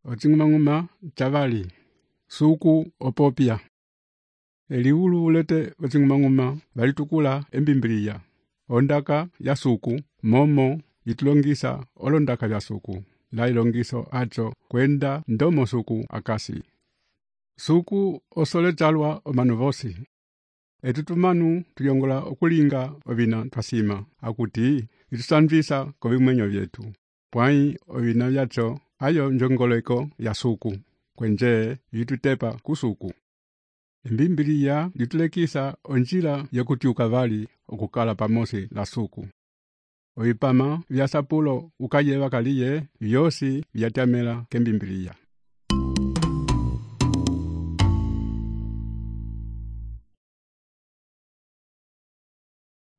Ocing'umang'uma chavali. Suku opopya. Eliulu ulete ocing'umang'uma valitukula embimbiliya. Ondaka ya suku, momo, itulongisa olondaka ya suku. La ilongiso acho kwenda ndomo suku akasi. Suku osole chalwa omanuvosi. Etutumanu tuyongola okulinga ovina twasima. Akuti, itusanvisa kovimwenyo vyetu. Pwai ovina vyacho, ayo njongoleko ya suku. Kwenje, itutepa kusuku. Embimbiliya litulekisa onjila ya kutiuka vali okukala pamosi la suku. Oipama vya sapulo ukayeva kaliye, vyosi vyatamela kembimbiliya.